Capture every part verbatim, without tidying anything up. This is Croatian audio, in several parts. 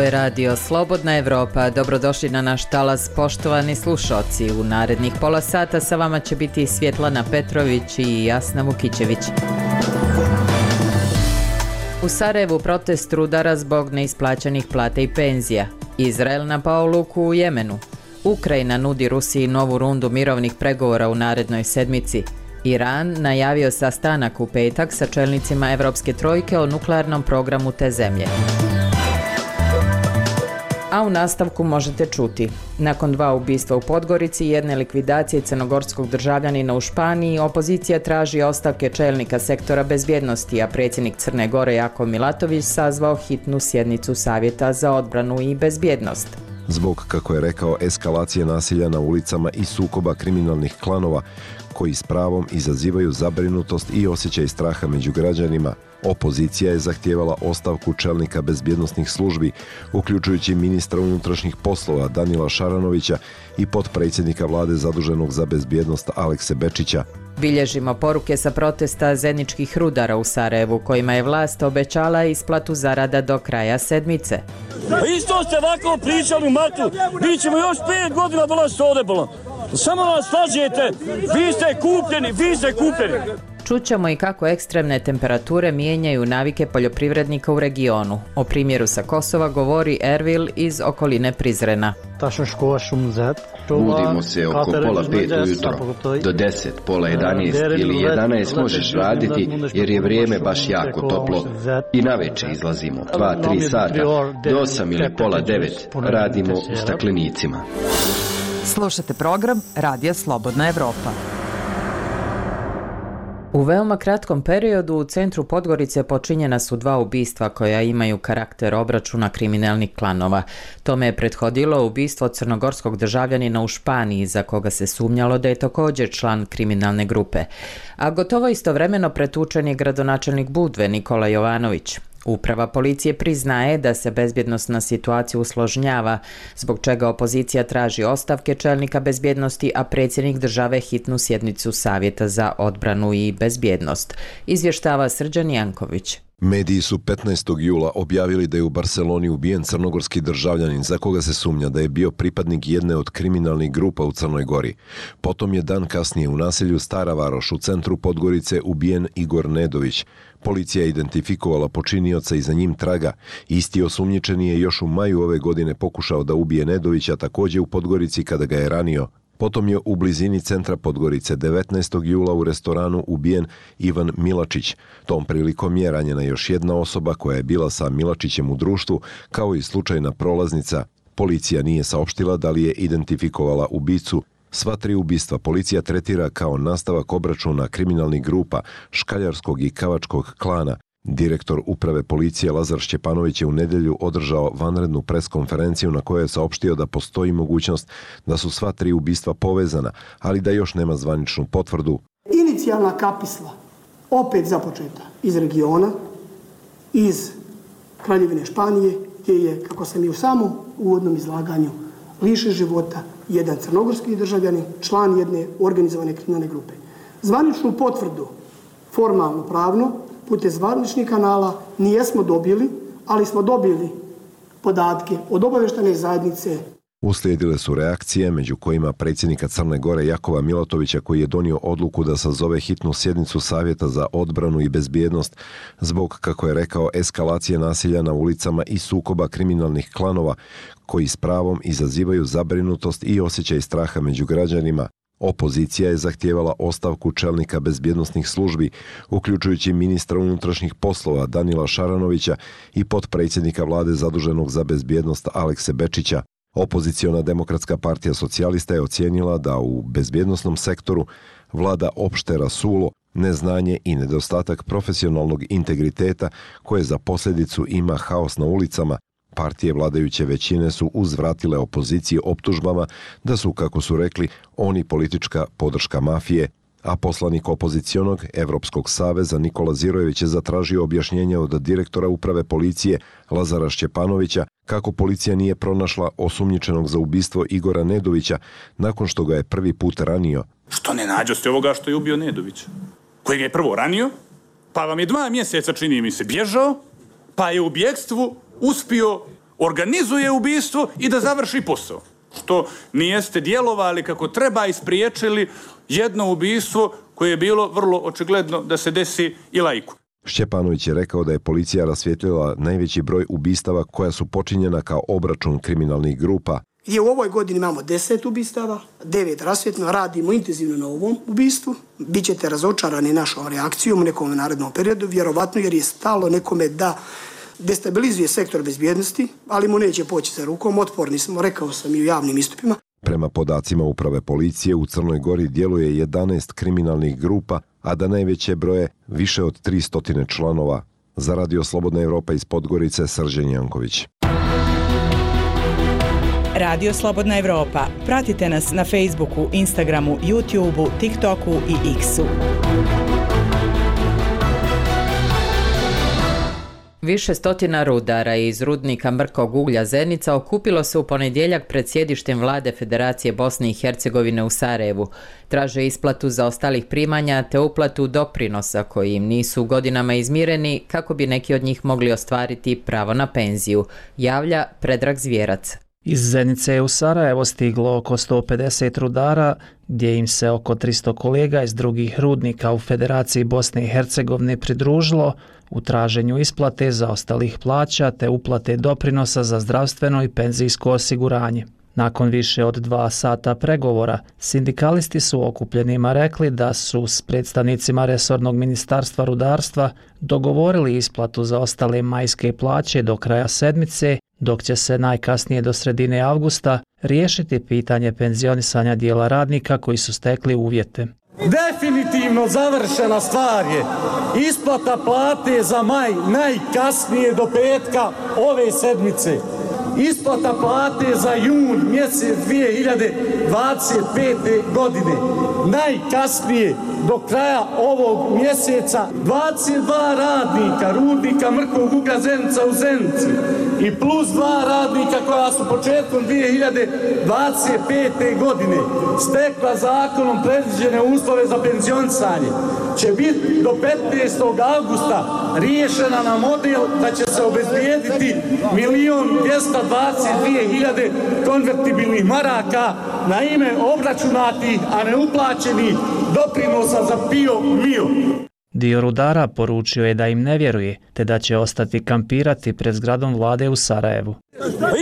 je radio Slobodna Evropa. Dobrodošli na naš talas, poštovani slušalci. U narednih pola sata sa vama će biti Svjetlana Petrović i Jasna Vukićević. U Sarajevu protest rudara zbog neisplaćenih plata i penzija. Izrael napao luku u Jemenu. Ukrajina nudi Rusiji novu rundu mirovnih pregovora u narednoj sedmici. Iran najavio sastanak u petak sa čelnicima Evropske trojke o nuklearnom programu te zemlje. A u nastavku možete čuti. Nakon dva ubistva u Podgorici i jedne likvidacije crnogorskog državljanina u Španiji, opozicija traži ostavke čelnika sektora bezbjednosti, a predsjednik Crne Gore Jakov Milatović sazvao hitnu sjednicu Savjeta za odbranu i bezbjednost. Zbog, kako je rekao, eskalacije nasilja na ulicama i sukoba kriminalnih klanova koji s pravom izazivaju zabrinutost i osjećaj straha među građanima, opozicija je zahtijevala ostavku čelnika bezbjednosnih službi, uključujući ministra unutrašnjih poslova Danila Šaranovića i potpredsjednika vlade zaduženog za bezbjednost Alekse Bečića. Bilježimo poruke sa protesta zeničkih rudara u Sarajevu, kojima je vlast obećala isplatu zarada do kraja sedmice. Isto ste ovako pričali u martu, mi ćemo još pet godina dolaziti ovdje bolom. Samo nas slažete, vi ste kupljeni, vi ste kupljeni. Čućemo i kako ekstremne temperature mijenjaju navike poljoprivrednika u regionu. O primjeru sa Kosova govori Ervil iz okoline Prizrena. Budimo se oko pola pet ujutro, do deset, pola jedanaest ili jedanaest možeš raditi jer je vrijeme baš jako toplo i navečer izlazimo, dva, tri sata, do osam ili pola devet radimo u staklenicima. Slušate program Radija Slobodna Evropa. U veoma kratkom periodu u centru Podgorice počinjena su dva ubistva koja imaju karakter obračuna kriminalnih klanova. Tome je prethodilo ubistvo crnogorskog državljanina u Španiji, za koga se sumnjalo da je također član kriminalne grupe. A gotovo istovremeno pretučen je gradonačelnik Budve Nikola Jovanović. Uprava policije priznaje da se bezbjednosna situacija usložnjava, zbog čega opozicija traži ostavke čelnika bezbjednosti, a predsjednik države hitnu sjednicu Savjeta za odbranu i bezbjednost. Izvještava Srđan Janković. Mediji su petnaestog jula objavili da je u Barceloni ubijen crnogorski državljanin za koga se sumnja da je bio pripadnik jedne od kriminalnih grupa u Crnoj Gori. Potom je dan kasnije u naselju Stara Varoš u centru Podgorice ubijen Igor Nedović. Policija je identifikovala počinioca i za njim traga. Isti osumnjičeni je još u maju ove godine pokušao da ubije Nedovića također u Podgorici kada ga je ranio. Potom je u blizini centra Podgorice devetnaestog jula u restoranu ubijen Ivan Milačić. Tom prilikom je ranjena još jedna osoba koja je bila sa Milačićem u društvu, kao i slučajna prolaznica. Policija nije saopštila da li je identifikovala ubicu. Sva tri ubistva policija tretira kao nastavak obračuna kriminalnih grupa, škaljarskog i kavačkog klana. Direktor uprave policije Lazar Šćepanović je u nedjelju održao vanrednu preskonferenciju na kojoj je saopštio da postoji mogućnost da su sva tri ubistva povezana, ali da još nema zvaničnu potvrdu. Inicijalna kapisla opet započeta iz regiona, iz Kraljevine Španije, gdje je, kako sam i u samom uvodnom izlaganju, lišen života jedan crnogorski državljanin, član jedne organizovane kriminalne grupe. Zvaničnu potvrdu, formalno pravno, putem zvaničnih kanala nijesmo dobili, ali smo dobili podatke od obavještajne zajednice. Uslijedile su reakcije, među kojima predsjednika Crne Gore Jakova Milatovića, koji je donio odluku da sazove hitnu sjednicu Savjeta za odbranu i bezbjednost zbog, kako je rekao, eskalacije nasilja na ulicama i sukoba kriminalnih klanova koji s pravom izazivaju zabrinutost i osjećaj straha među građanima. Opozicija je zahtijevala ostavku čelnika bezbjednosnih službi, uključujući ministra unutrašnjih poslova Danila Šaranovića i potpredsjednika vlade zaduženog za bezbjednost Alekse Bečića. Opoziciona Demokratska partija socijalista je ocijenila da u bezbjednosnom sektoru vlada opšte rasulo, neznanje i nedostatak profesionalnog integriteta koje za posljedicu ima haos na ulicama. Partije vladajuće većine su uzvratile opoziciji optužbama da su, kako su rekli, oni politička podrška mafije, a poslanik opozicionog Evropskog saveza Nikola Zirojević je zatražio objašnjenje od direktora uprave policije Lazara Šćepanovića kako policija nije pronašla osumnjičenog za ubistvo Igora Nedovića nakon što ga je prvi put ranio. Što ne nađoste ovoga što je ubio Nedovića, koji ga je prvo ranio, pa vam je dva mjeseca, čini mi se, bježao, pa je u bjekstvu uspio organizuje ubistvo i da završi posao. Što nijeste djelovali kako treba i spriječili jedno ubistvo koje je bilo vrlo očigledno da se desi i laiku. Šćepanović je rekao da je policija rasvijetlila najveći broj ubistava koja su počinjena kao obračun kriminalnih grupa. Gdje u ovoj godini imamo deset ubistava, devet rasvjetno, radimo intenzivno na ovom ubistvu. Bićete razočarani našom reakcijom u nekom narednom periodu, vjerovatno jer je stalo nekome da destabilizuje sektor bezbjednosti, ali mu neće poći za rukom, otporni smo, rekao sam i u javnim istupima. Prema podacima uprave policije u Crnoj Gori djeluje jedanaest kriminalnih grupa, a da najveće broje više od tristo članova. Za Radio Slobodna Evropa iz Podgorice, Srđan Janković. Radio Slobodna Evropa. Pratite nas na Facebooku, Instagramu, YouTubeu, TikToku i X-u. Više stotina rudara iz rudnika mrkog uglja Zenica okupilo se u ponedjeljak pred sjedištem vlade Federacije Bosne i Hercegovine u Sarajevu. Traže isplatu zaostalih primanja te uplatu doprinosa koji im nisu godinama izmireni kako bi neki od njih mogli ostvariti pravo na penziju, javlja Predrag Zvjerac. Iz Zenice je u Sarajevo stiglo oko sto pedeset rudara, gdje im se oko tristo kolega iz drugih rudnika u Federaciji Bosne i Hercegovine pridružilo u traženju isplate zaostalih plaća te uplate doprinosa za zdravstveno i penzijsko osiguranje. Nakon više od dva sata pregovora, sindikalisti su okupljenima rekli da su s predstavnicima resornog ministarstva rudarstva dogovorili isplatu za ostale majske plaće do kraja sedmice, dok će se najkasnije do sredine avgusta riješiti pitanje penzionisanja dijela radnika koji su stekli uvjete. Definitivno završena stvar je isplata plate za maj najkasnije do petka ove sedmice. Isplata plate za jun mjesec dvije hiljade dvadeset pete. godine. Najkasnije do kraja ovog mjeseca dvadeset dva radnika rudnika mrkog uglja Zenica u Zenici i plus dva radnika koja su početkom dvije hiljade dvadeset pete. godine stekla zakonom predviđene uslove za penzionisanje će biti do petnaestog avgusta riješena na model da će se obezbijediti milion dvjesto dvadeset dvije hiljade konvertibilnih maraka na ime obračunatih, a ne uplaćenih doprinosa za PIO MIO. Dio rudara poručio je da im ne vjeruje, te da će ostati kampirati pred zgradom vlade u Sarajevu.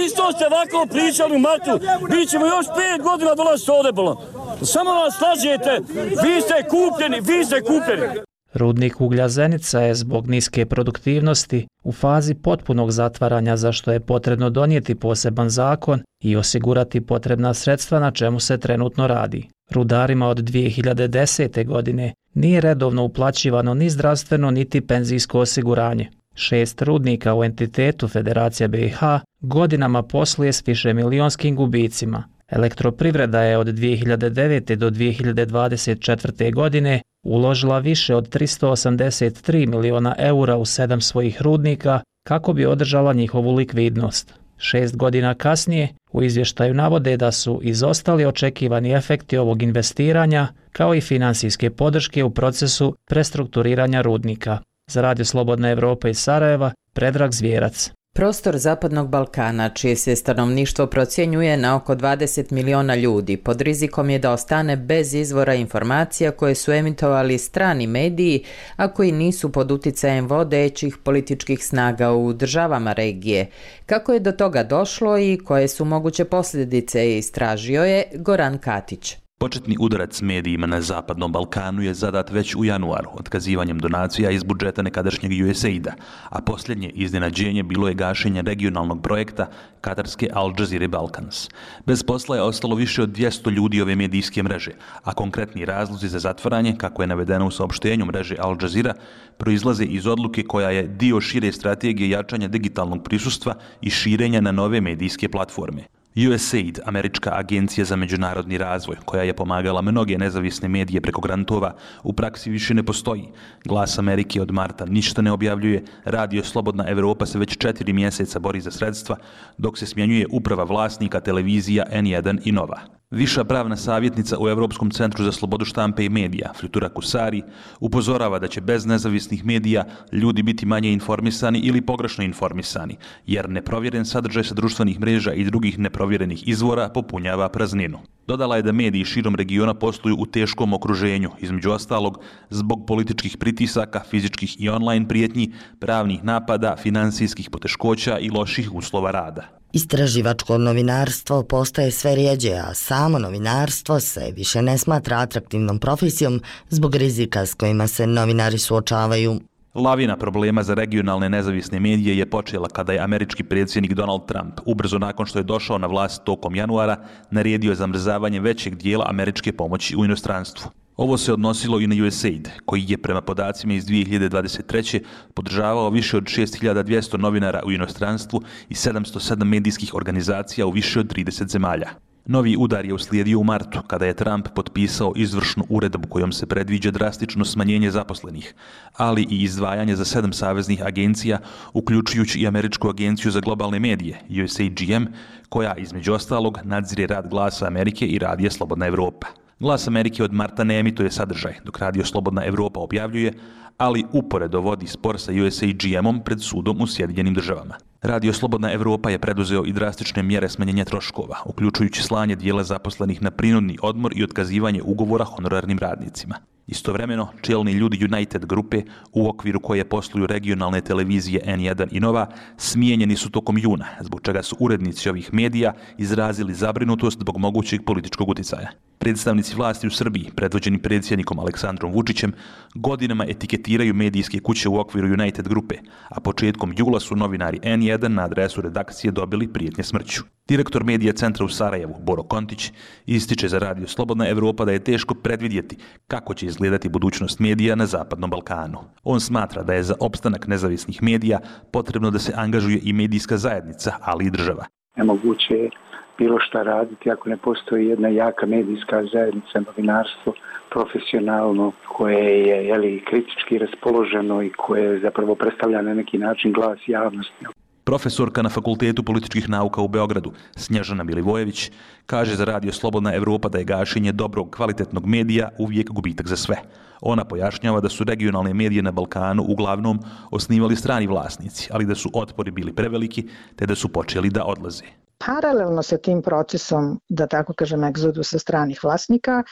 Isto ste ovako pričali u martu, bit ćemo još pet godina dolaziti ovdje bolan. Samo nas slažete, vi ste kupljeni, vi ste kupljeni. Rudnik uglja Zenica je zbog niske produktivnosti u fazi potpunog zatvaranja, za što je potrebno donijeti poseban zakon i osigurati potrebna sredstva, na čemu se trenutno radi. Rudarima od dvije hiljade desete. godine nije redovno uplaćivano ni zdravstveno niti penzijsko osiguranje. Šest rudnika u entitetu Federacije B i H godinama posluje s višemilijonskim gubicima. Elektroprivreda je od dvije hiljade devete. do dvije hiljade dvadeset četvrte. godine uložila više od tristo osamdeset tri miliona eura u sedam svojih rudnika kako bi održala njihovu likvidnost. Šest godina kasnije u izvještaju navode da su izostali očekivani efekti ovog investiranja kao i financijske podrške u procesu prestrukturiranja rudnika. Za Radio Slobodna Evropa iz Sarajeva, Predrag Zvjerac. Prostor Zapadnog Balkana, čije se stanovništvo procjenjuje na oko dvadeset miliona ljudi, pod rizikom je da ostane bez izvora informacija koje su emitovali strani mediji, a koji nisu pod uticajem vodećih političkih snaga u državama regije. Kako je do toga došlo i koje su moguće posljedice, istražio je Goran Katić. Početni udarac medijima na Zapadnom Balkanu je zadat već u januaru otkazivanjem donacija iz budžeta nekadašnjeg U S A I D-a, a posljednje iznenađenje bilo je gašenje regionalnog projekta katarske Al Jazeera Balkans. Bez posla je ostalo više od dvjesto ljudi ove medijske mreže, a konkretni razlozi za zatvaranje, kako je navedeno u saopštenju mreže Al Jazeera, proizlaze iz odluke koja je dio šire strategije jačanja digitalnog prisustva i širenja na nove medijske platforme. U S A I D, američka agencija za međunarodni razvoj, koja je pomagala mnoge nezavisne medije preko grantova, u praksi više ne postoji. Glas Amerike od marta ništa ne objavljuje, Radio Slobodna Evropa se već četiri mjeseca bori za sredstva, dok se smjenjuje uprava vlasnika televizija N jedan i Nova. Viša pravna savjetnica u Europskom centru za slobodu štampe i medija, Flutura Kusari, upozorava da će bez nezavisnih medija ljudi biti manje informisani ili pogrešno informisani, jer neprovjeren sadržaj sa društvenih mreža i drugih neprovjerenih izvora popunjava prazninu. Dodala je da mediji širom regiona posluju u teškom okruženju, između ostalog zbog političkih pritisaka, fizičkih i online prijetnji, pravnih napada, financijskih poteškoća i loših uslova rada. Istraživačko novinarstvo postaje sve rjeđe, a samo novinarstvo se više ne smatra atraktivnom profesijom zbog rizika s kojima se novinari suočavaju. Lavina problema za regionalne nezavisne medije je počela kada je američki predsjednik Donald Trump, ubrzo nakon što je došao na vlast tokom januara, naredio zamrzavanje većeg dijela američke pomoći u inostranstvu. Ovo se odnosilo i na U S A I D, koji je prema podacima iz dvije hiljade dvadeset treće podržavao više od šest hiljada dvjesto novinara u inostranstvu i sedamsto sedam medijskih organizacija u više od trideset zemalja. Novi udar je uslijedio u martu, kada je Trump potpisao izvršnu uredbu kojom se predviđa drastično smanjenje zaposlenih, ali i izdvajanje za sedam saveznih agencija, uključujući i Američku agenciju za globalne medije, U S A G M, koja između ostalog nadzire rad Glasa Amerike i Radija Slobodna Evropa. Glas Amerike od marta ne emituje sadržaj, dok Radio Slobodna Evropa objavljuje, ali uporedo vodi spor sa U S A G M-om pred sudom u Sjedinjenim državama. Radio Slobodna Evropa je preduzeo i drastične mjere smanjenja troškova, uključujući slanje dijela zaposlenih na prinudni odmor i otkazivanje ugovora honorarnim radnicima. Istovremeno, čelni ljudi United grupe, u okviru koje posluju regionalne televizije N jedan i Nova, smijenjeni su tokom juna, zbog čega su urednici ovih medija izrazili zabrinutost zbog mogućeg političkog utjecaja. Predstavnici vlasti u Srbiji, predvođeni predsjednikom Aleksandrom Vučićem, godinama etiketiraju medijske kuće u okviru United grupe, a početkom jula su novinari N jedan na adresu redakcije dobili prijetnje smrću. Direktor medija centra u Sarajevu, Boro Kontić, ističe za Radio Slobodna Evropa da je teško predvidjeti kako će izgledati budućnost medija na Zapadnom Balkanu. On smatra da je za opstanak nezavisnih medija potrebno da se angažuje i medijska zajednica, ali i država. Nemoguće je bilo šta raditi ako ne postoji jedna jaka medijska zajednica, novinarstvo, profesionalno, koje je jeli, kritički raspoloženo i koje zapravo predstavlja na neki način glas javnosti. Profesorka na Fakultetu političkih nauka u Beogradu, Snježana Milivojević, kaže za Radio Slobodna Evropa da je gašenje dobrog, kvalitetnog medija uvijek gubitak za sve. Ona pojašnjava da su regionalne medije na Balkanu uglavnom osnivali strani vlasnici, ali da su otpori bili preveliki, te da su počeli da odlaze. Paralelno sa tim procesom, da tako kažem, egzodusa stranih vlasnika,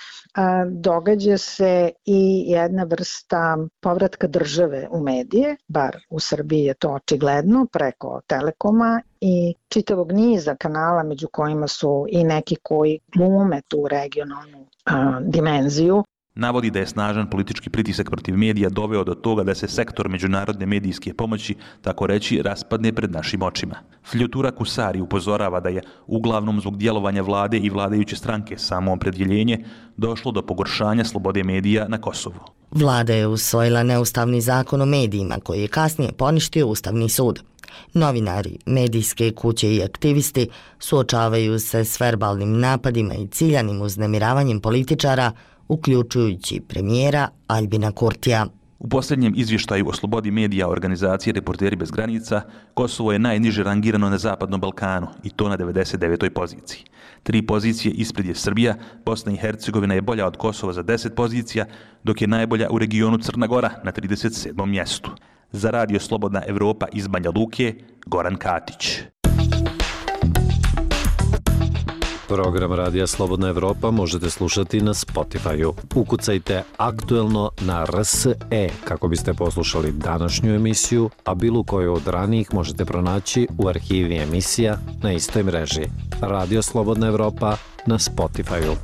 događa se i jedna vrsta povratka države u medije, bar u Srbiji je to očigledno, preko Telekoma i čitavog niza kanala, među kojima su i neki koji glume tu regionalnu a, dimenziju. Navodi da je snažan politički pritisak protiv medija doveo do toga da se sektor međunarodne medijske pomoći, tako reći, raspadne pred našim očima. Flutura Kusari upozorava da je uglavnom zbog djelovanja vlade i vladajuće stranke samoopredjeljenje došlo do pogoršanja slobode medija na Kosovu. Vlada je usvojila neustavni zakon o medijima koji je kasnije poništio Ustavni sud. Novinari, medijske kuće i aktivisti suočavaju se s verbalnim napadima i ciljanim uznemiravanjem političara, uključujući premijera Aljbina Kurtija. U posljednjem izvještaju o slobodi medija organizacije Reporteri bez granica, Kosovo je najniže rangirano na Zapadnom Balkanu i to na devedeset devetoj poziciji. Tri pozicije ispred je Srbija, Bosna i Hercegovina je bolja od Kosova za deset pozicija, dok je najbolja u regionu Crna Gora na trideset sedmom mjestu. Za Radio Slobodna Evropa iz Banja Luke, Goran Katić. Program Radija Slobodna Evropa možete slušati na Spotify-u. Ukucajte aktuelno na R S E kako biste poslušali današnju emisiju, a bilo koju od ranijih možete pronaći u arhivi emisija na istoj mreži. Radio Slobodna Evropa na Spotify-u.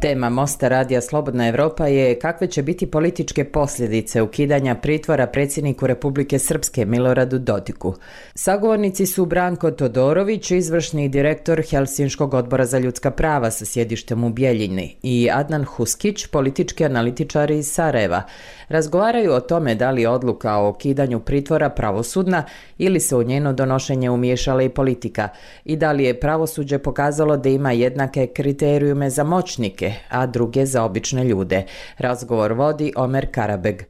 Tema Mosta Radija Slobodna Evropa je kakve će biti političke posljedice ukidanja pritvora predsjedniku Republike Srpske Miloradu Dodiku. Sagovornici su Branko Todorović, izvršni direktor Helsinškog odbora za ljudska prava sa sjedištem u Bijeljini, i Adnan Huskić, politički analitičar iz Sarajeva. Razgovaraju o tome da li je odluka o ukidanju pritvora pravosudna ili se u njeno donošenje umiješala i politika i da li je pravosuđe pokazalo da ima jednake kriterijume za moćnike, a druge za obične ljude. Razgovor vodi Omer Karabeg.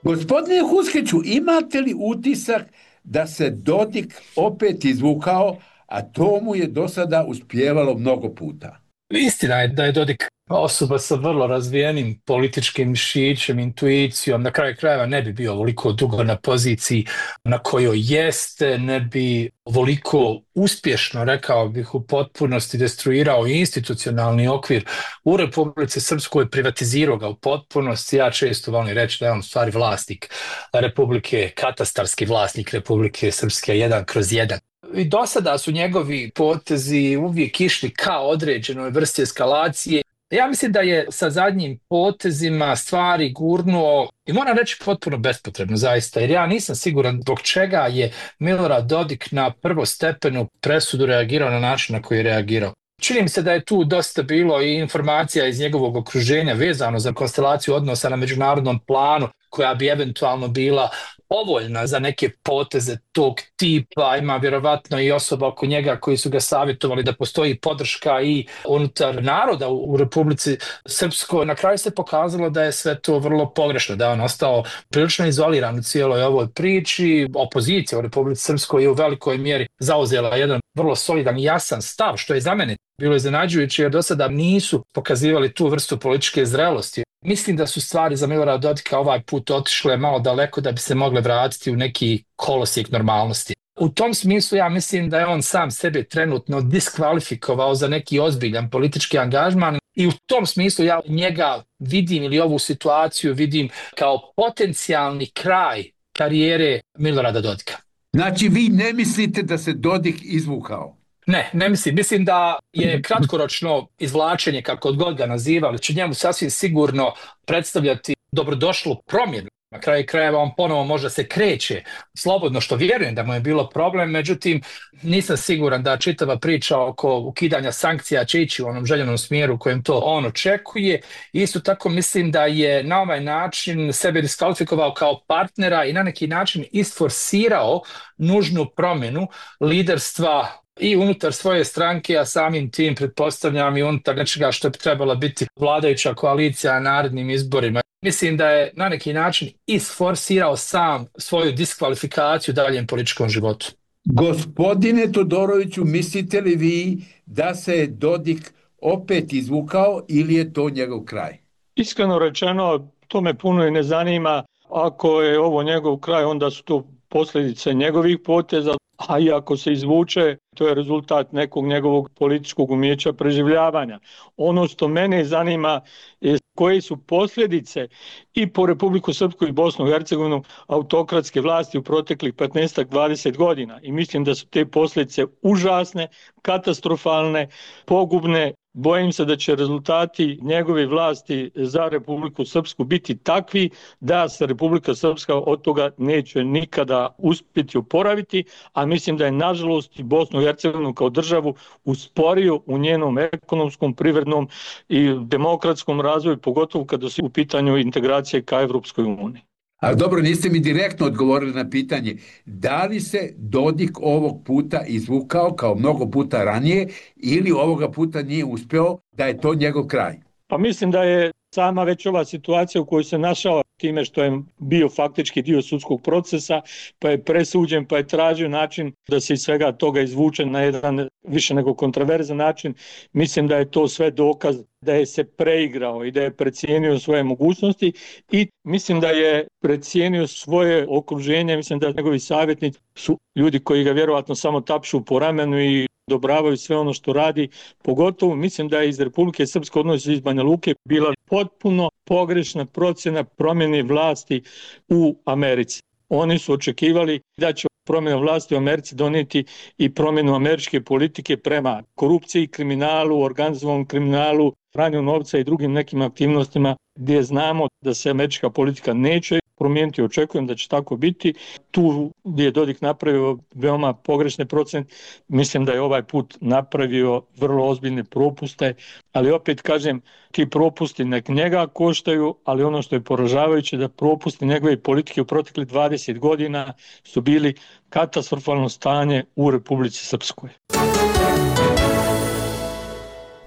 Gospodine Huskiću, imate li utisak da se Dodik opet izvukao, a to mu je do sada uspijevalo mnogo puta. Istina je da je Dodik osoba sa vrlo razvijenim političkim mišićem, intuicijom, na kraju krajeva ne bi bio ovoliko dugo na poziciji na kojoj jeste, ne bi ovoliko uspješno, rekao bih, u potpunosti destruirao institucionalni okvir u Republici Srpskoj, privatizirao ga u potpunosti. Ja često volim reći da je on u stvari vlasnik Republike, katastarski vlasnik Republike Srpske, jedan kroz jedan. I do sada su njegovi potezi uvijek išli ka određenoj vrsti eskalacije. Ja mislim da je sa zadnjim potezima stvari gurnuo, i moram reći potpuno bespotrebno zaista, jer ja nisam siguran zbog čega je Milorad Dodik na prvostepenu presudu reagirao na način na koji je reagirao. Čini mi se da je tu dosta bilo i informacija iz njegovog okruženja vezano za konstelaciju odnosa na međunarodnom planu koja bi eventualno bila povoljna za neke poteze tog tipa. Ima vjerovatno i osoba oko njega koji su ga savjetovali da postoji podrška i unutar naroda u Republici Srpskoj. Na kraju se pokazalo da je sve to vrlo pogrešno, da je on ostao prilično izoliran u cijeloj ovoj priči. Opozicija u Republici Srpskoj je u velikoj mjeri zauzela jedan vrlo solidan i jasan stav, što je za mene bilo iznenađujuće jer do sada nisu pokazivali tu vrstu političke zrelosti. Mislim da su stvari za Milorada Dodika ovaj put otišle malo daleko da bi se mogle vratiti u neki kolosijek normalnosti. U tom smislu ja mislim da je on sam sebe trenutno diskvalifikovao za neki ozbiljan politički angažman i u tom smislu ja njega vidim ili ovu situaciju vidim kao potencijalni kraj karijere Milorada Dodika. Znači vi ne mislite da se Dodik izvukao? Ne, ne mislim. Mislim da je kratkoročno izvlačenje, kako god ga nazivali, će njemu sasvim sigurno predstavljati dobrodošlu promjenu. Na kraju krajeva on ponovo možda se kreće slobodno, što vjerujem da mu je bilo problem, međutim nisam siguran da čitava priča oko ukidanja sankcija će ići u onom željenom smjeru kojem to on očekuje. Isto tako mislim da je na ovaj način sebe diskvalifikovao kao partnera i na neki način isforsirao nužnu promjenu liderstva i unutar svoje stranke, a samim tim pretpostavljam i unutar nečega što bi trebala biti vladajuća koalicija na narednim izborima. Mislim da je na neki način isforsirao sam svoju diskvalifikaciju u daljem političkom životu. Gospodine Todoroviću, mislite li vi da se Dodik opet izvukao ili je to njegov kraj? Iskreno rečeno, to me puno i ne zanima. Ako je ovo njegov kraj, onda su to posljedice njegovih poteza, a i ako se izvuče, to je rezultat nekog njegovog političkog umijeća preživljavanja. Ono što mene zanima je koje su posljedice i po Republiku Srpsku i Bosnu i Hercegovinu autokratske vlasti u proteklih petnaest do dvadeset godina. I mislim da su te posljedice užasne, katastrofalne, pogubne. Bojim se da će rezultati njegove vlasti za Republiku Srpsku biti takvi da se Republika Srpska od toga neće nikada uspjeti oporaviti, a mislim da je nažalost i Bosnu i Hercegovinu kao državu usporio u njenom ekonomskom, privrednom i demokratskom razvoju, pogotovo kada su u pitanju integracije ka Evropskoj uniji. Ali dobro, niste mi direktno odgovorili na pitanje da li se Dodik ovog puta izvukao kao mnogo puta ranije ili ovoga puta nije uspio, da je to njegov kraj? Pa mislim da je sama već ova situacija u kojoj se našao time što je bio faktički dio sudskog procesa, pa je presuđen, pa je tražio način da se iz svega toga izvuče na jedan više nego kontroverzan način. Mislim da je to sve dokaz da je se preigrao i da je precijenio svoje mogućnosti i mislim da je precijenio svoje okruženje. Mislim da njegovi savjetnici su ljudi koji ga vjerovatno samo tapšu po ramenu i odobravaju sve ono što radi. Pogotovo mislim da je iz Republike Srpske, odnosno iz Banja Luke, bila potpuno pogrešna procjena promjene vlasti u Americi. Oni su očekivali da će promjena vlasti u Americi donijeti i promjenu američke politike prema korupciji, kriminalu, organizovanom kriminalu, pranju novca i drugim nekim aktivnostima gdje znamo da se američka politika neće promijeniti. Očekujem da će tako biti. Tu gdje je Dodik napravio veoma pogrešne procjene, mislim da je ovaj put napravio vrlo ozbiljne propuste, ali opet kažem, ti propusti nek njega koštaju, ali ono što je poražavajuće da propusti njegove politike u proteklih dvadeset godina su bili katastrofalno stanje u Republici Srpskoj.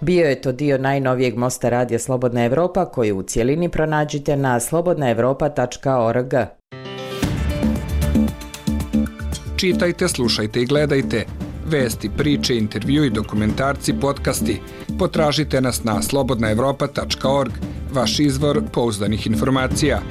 Bio je to dio najnovijeg mosta radija Slobodna Evropa koji u cjelini pronađite na slobodna evropa tačka org. Čitajte, slušajte i gledajte. Vesti, priče, intervju i dokumentarci, podcasti. Potražite nas na slobodna evropa tačka org, vaš izvor pouzdanih informacija.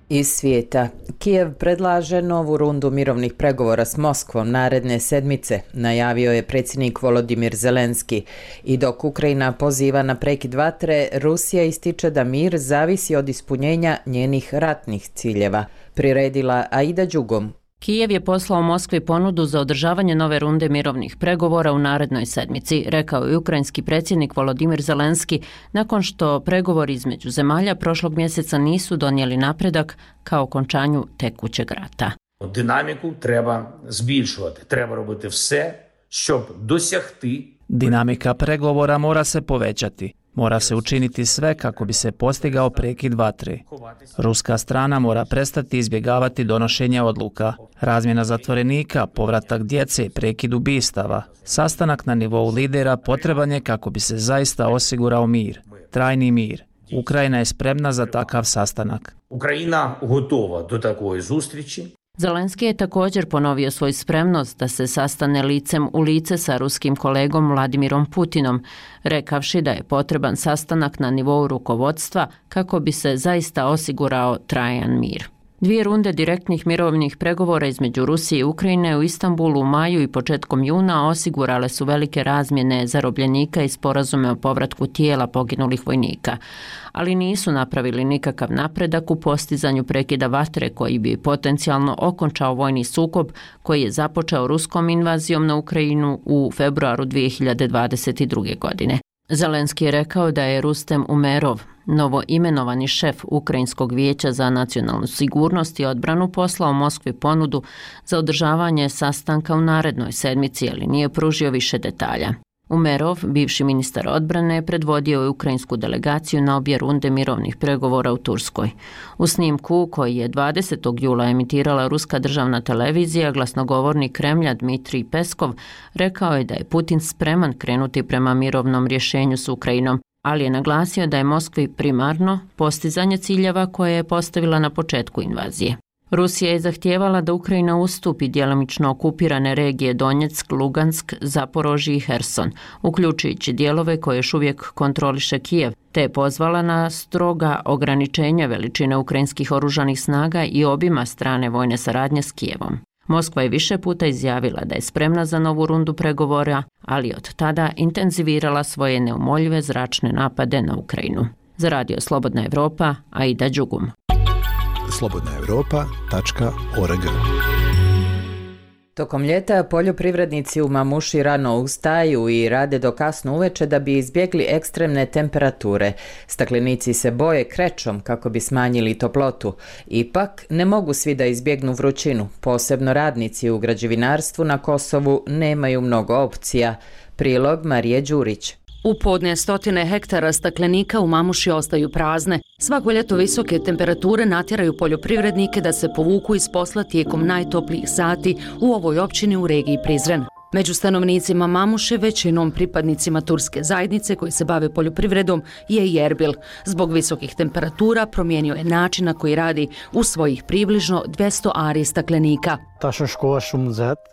Iz svijeta. Kijev predlaže novu rundu mirovnih pregovora s Moskvom naredne sedmice, najavio je predsjednik Volodimir Zelenski. I dok Ukrajina poziva na prekid vatre, Rusija ističe da mir zavisi od ispunjenja njenih ratnih ciljeva. Priredila Aida Đugom. Kijev je poslao Moskvi ponudu za održavanje nove runde mirovnih pregovora u narednoj sedmici, rekao je ukrajinski predsjednik Volodimir Zelenski nakon što pregovori između zemalja prošlog mjeseca nisu donijeli napredak ka okončanju tekućeg rata. Dinamiku treba збільшувати, treba робити все, щоб досягти. Dinamika pregovora mora se povećati. Mora se učiniti sve kako bi se postigao prekid vatre. Ruska strana mora prestati izbjegavati donošenje odluka, razmjena zatvorenika, povratak djece, prekid ubistava. Sastanak na nivou lidera potreban je kako bi se zaista osigurao mir, trajni mir. Ukrajina je spremna za takav sastanak. Ukrajina готова до такої зустрічі. Zelenski je također ponovio svoju spremnost da se sastane licem u lice sa ruskim kolegom Vladimirom Putinom, rekavši da je potreban sastanak na nivou rukovodstva kako bi se zaista osigurao trajan mir. Dvije runde direktnih mirovnih pregovora između Rusije i Ukrajine u Istanbulu u maju i početkom juna osigurale su velike razmjene zarobljenika i sporazume o povratku tijela poginulih vojnika, ali nisu napravili nikakav napredak u postizanju prekida vatre koji bi potencijalno okončao vojni sukob koji je započeo ruskom invazijom na Ukrajinu u februaru dvije hiljade dvadeset druge. godine. Zelenski je rekao da je Rustem Umerov, novo imenovani šef Ukrajinskog vijeća za nacionalnu sigurnost i odbranu, poslao Moskvi ponudu za održavanje sastanka u narednoj sedmici, ali nije pružio više detalja. Umerov, bivši ministar odbrane, predvodio je ukrajinsku delegaciju na obje runde mirovnih pregovora u Turskoj. U snimku koji je dvadesetog jula emitirala ruska državna televizija, glasnogovornik Kremlja Dmitrij Peskov rekao je da je Putin spreman krenuti prema mirovnom rješenju s Ukrajinom, ali je naglasio da je Moskvi primarno postizanje ciljeva koje je postavila na početku invazije. Rusija je zahtijevala da Ukrajina ustupi djelomično okupirane regije Donjeck, Lugansk, Zaporožje i Herson, uključujući dijelove koje još uvijek kontroliše Kijev, te je pozvala na stroga ograničenja veličine ukrajinskih oružanih snaga i obima strane vojne saradnje s Kijevom. Moskva je više puta izjavila da je spremna za novu rundu pregovora, ali od tada intenzivirala svoje neumoljive zračne napade na Ukrajinu. Za Radio Slobodna Evropa, Aida Đugum. slobodna evropa tačka org. Tokom ljeta poljoprivrednici u Mamuši rano ustaju i rade do kasno uveče da bi izbjegli ekstremne temperature. Staklenici se boje krećom kako bi smanjili toplotu. Ipak ne mogu svi da izbjegnu vrućinu. Posebno radnici u građevinarstvu na Kosovu nemaju mnogo opcija. Prilog Marije Đurić. U podne stotine hektara staklenika u Mamuši ostaju prazne. Svako ljeto visoke temperature natjeraju poljoprivrednike da se povuku iz posla tijekom najtoplijih sati u ovoj općini u regiji Prizren. Među stanovnicima Mamuše, većinom pripadnicima turske zajednice koji se bave poljoprivredom, je i Erbil. Zbog visokih temperatura promijenio je način na koji radi u svojih približno dvjesto ari staklenika.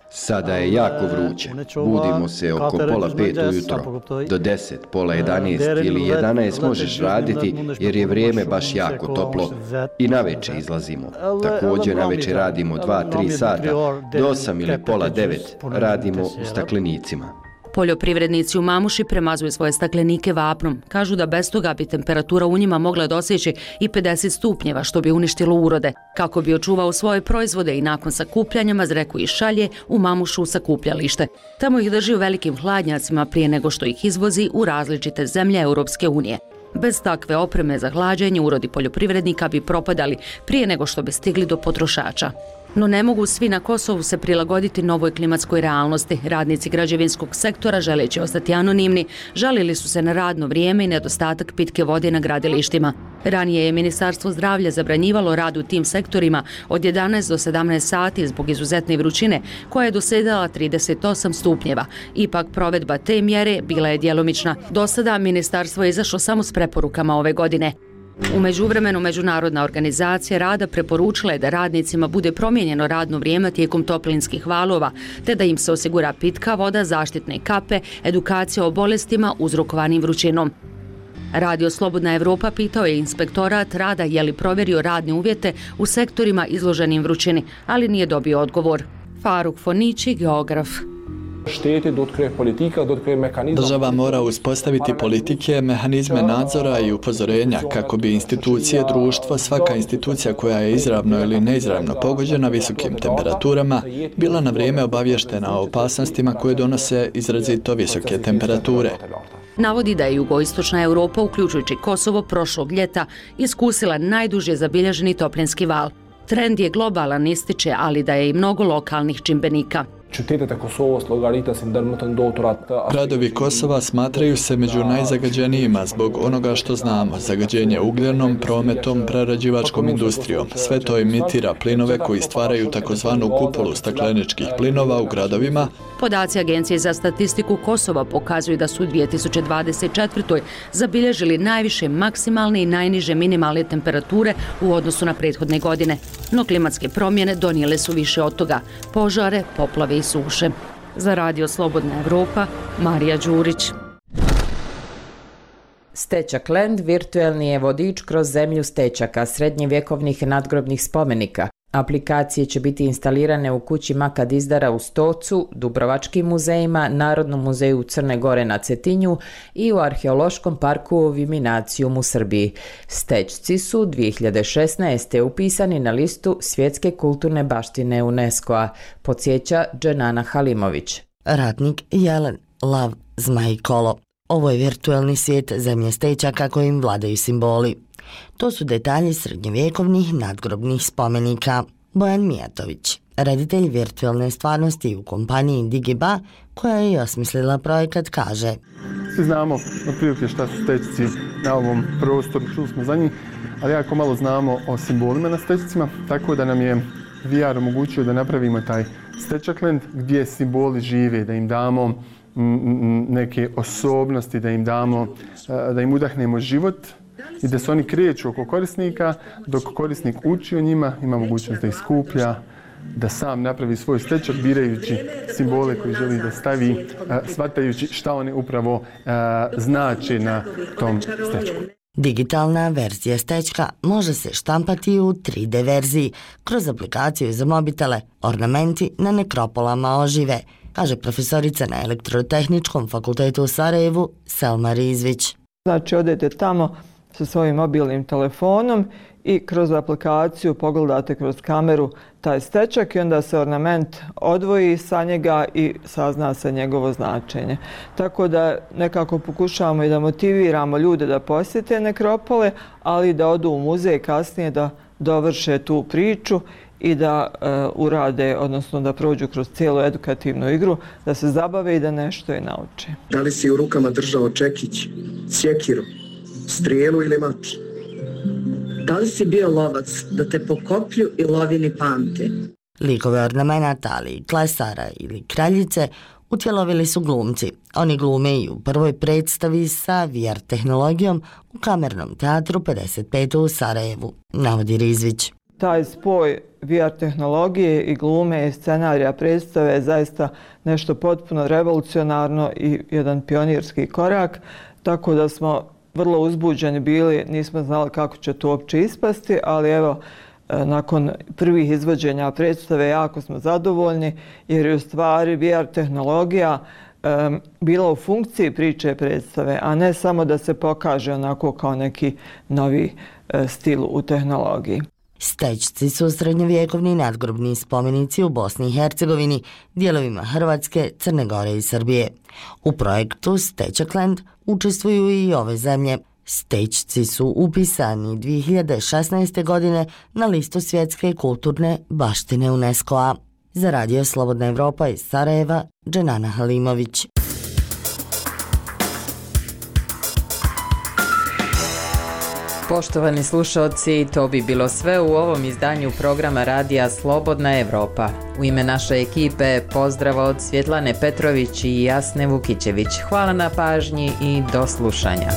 Sada je jako vruće. Budimo se oko pola pet ujutro. Do deset, pola jedanaest ili jedanaest možeš raditi jer je vrijeme baš jako toplo. I naveče izlazimo. Također naveče radimo dva tri sata. Do osam ili pola devet radimo u staklenicima. Poljoprivrednici u Mamuši premazuju svoje staklenike vapnom. Kažu da bez toga bi temperatura u njima mogla doseći i pedeset stupnjeva, što bi uništilo urode. Kako bi očuvao svoje proizvode i nakon sakupljanja, Mazreku ih šalje u Mamušu u sakupljalište. Tamo ih drži u velikim hladnjacima prije nego što ih izvozi u različite zemlje Europske unije. Bez takve opreme za hlađenje urodi poljoprivrednika bi propadali prije nego što bi stigli do potrošača. No ne mogu svi na Kosovu se prilagoditi novoj klimatskoj realnosti. Radnici građevinskog sektora, želeći ostati anonimni, žalili su se na radno vrijeme i nedostatak pitke vode na gradilištima. Ranije je Ministarstvo zdravlja zabranjivalo rad u tim sektorima od jedanaest do sedamnaest sati zbog izuzetne vrućine koja je dosegala trideset osam stupnjeva. Ipak provedba te mjere bila je djelomična. Do sada ministarstvo je izašlo samo s preporukama ove godine. U međuvremenu Međunarodna organizacija rada preporučila je da radnicima bude promijenjeno radno vrijeme tijekom toplinskih valova, te da im se osigura pitka voda, zaštitne kape, edukacija o bolestima uzrokovanim vrućinom. Radio Slobodna Evropa pitao je inspektorat rada je li provjerio radne uvjete u sektorima izloženim vrućini, ali nije dobio odgovor. Faruk Fonići, geograf. Država mora uspostaviti politike, mehanizme nadzora i upozorenja kako bi institucije društva, svaka institucija koja je izravno ili neizravno pogođena visokim temperaturama, bila na vrijeme obavještena o opasnostima koje donose izrazito visoke temperature. Navodi da je jugoistočna Europa, uključujući Kosovo, prošlog ljeta iskusila najduže zabilježeni toplinski val. Trend je globalan, ističe, ali da je i mnogo lokalnih čimbenika. Gradovi Kosova smatraju se među najzagađenijima zbog onoga što znamo, zagađenje ugljenom, prometom, prerađivačkom industrijom. Sve to imitira plinove koji stvaraju takozvanu kupolu stakleničkih plinova u gradovima. Podaci Agencije za statistiku Kosova pokazuju da su u dvije tisuće dvadeset četvrtoj. zabilježili najviše maksimalne i najniže minimalne temperature u odnosu na prethodne godine. No klimatske promjene donijele su više od toga. Požare, poplave i suše. Za Radio Slobodna Evropa, Marija Đurić. Stečak Land virtuelni je vodič kroz zemlju stečaka srednjevjekovnih nadgrobnih spomenika. Aplikacije će biti instalirane u kući Maka Dizdara u Stocu, Dubrovačkim muzejima, Narodnom muzeju Crne Gore na Cetinju i u Arheološkom parku Viminacijum u Srbiji. Stečci su dvije hiljade šesnaeste. upisani na listu svjetske kulturne baštine UNESCO-a, podsjeća Dženana Halimović. Ratnik Jelen, lav, zmaj i kolo. Ovo je virtuelni svijet zemlje stečaka kojim vladaju simboli. To su detalji srednjovjekovnih nadgrobnih spomenika. Bojan Mijatović, reditelj virtualne stvarnosti u kompaniji Digiba, koja je i osmislila projekat, kaže: Svi znamo otprilike šta su stečci na ovom prostoru, čuli smo za njih, ali jako malo znamo o simbolima na stečcima, tako da nam je V R omogućio da napravimo taj Stečakland gdje simboli žive, da im damo neke osobnosti, da im damo, da im udahnemo život i da se oni kreću oko korisnika, dok korisnik uči o njima, ima mogućnost da ih skuplja, da sam napravi svoj stečak birajući simbole koji želi da stavi, shvatajući šta one upravo znače na tom stečku. Digitalna verzija stečka može se štampati u tri D verziji kroz aplikaciju za mobitele. Ornamenti na nekropolama ožive, kaže profesorica na Elektrotehničkom fakultetu u Sarajevu Selma Rizvić. Znači, odete tamo sa svojim mobilnim telefonom i kroz aplikaciju pogledate kroz kameru taj stečak i onda se ornament odvoji sa njega i sazna se njegovo značenje. Tako da nekako pokušavamo i da motiviramo ljude da posjete nekropole, ali da odu u muzej kasnije da dovrše tu priču i da e, urade, odnosno da prođu kroz cijelu edukativnu igru, da se zabave i da nešto i nauče. Da li si u rukama držao čekić, sjekiru, strijelu ili mač? Da li si bio lovac da te po koplju i lovini pamte? Likove ornamenata, ali i klesara ili kraljice utjelovili su glumci. Oni glume i u prvoj predstavi sa V R tehnologijom u Kamernom teatru pedeset pet u Sarajevu, navodi Rizvić. Taj spoj V R tehnologije i glume i scenarija predstave je zaista nešto potpuno revolucionarno i jedan pionirski korak, tako da smo vrlo uzbuđeni bili, nismo znali kako će to uopće ispasti, ali evo, nakon prvih izvođenja predstave jako smo zadovoljni jer je u stvari V R tehnologija um, bila u funkciji priče predstave, a ne samo da se pokaže onako kao neki novi uh, stil u tehnologiji. Stečci su srednjovjekovni nadgrobni spomenici u Bosni i Hercegovini, dijelovima Hrvatske, Crne Gore i Srbije. U projektu Stečakland učestvuju i ove zemlje. Stečci su upisani dvije hiljade šesnaeste. godine na listu svjetske kulturne baštine UNESCO-a. Za Radio Slobodna Evropa iz Sarajeva, Dženana Halimović. Poštovani slušalci, to bi bilo sve u ovom izdanju programa Radija Slobodna Evropa. U ime naše ekipe pozdrav od Svjetlane Petrović i Jasne Vukićević. Hvala na pažnji i do slušanja.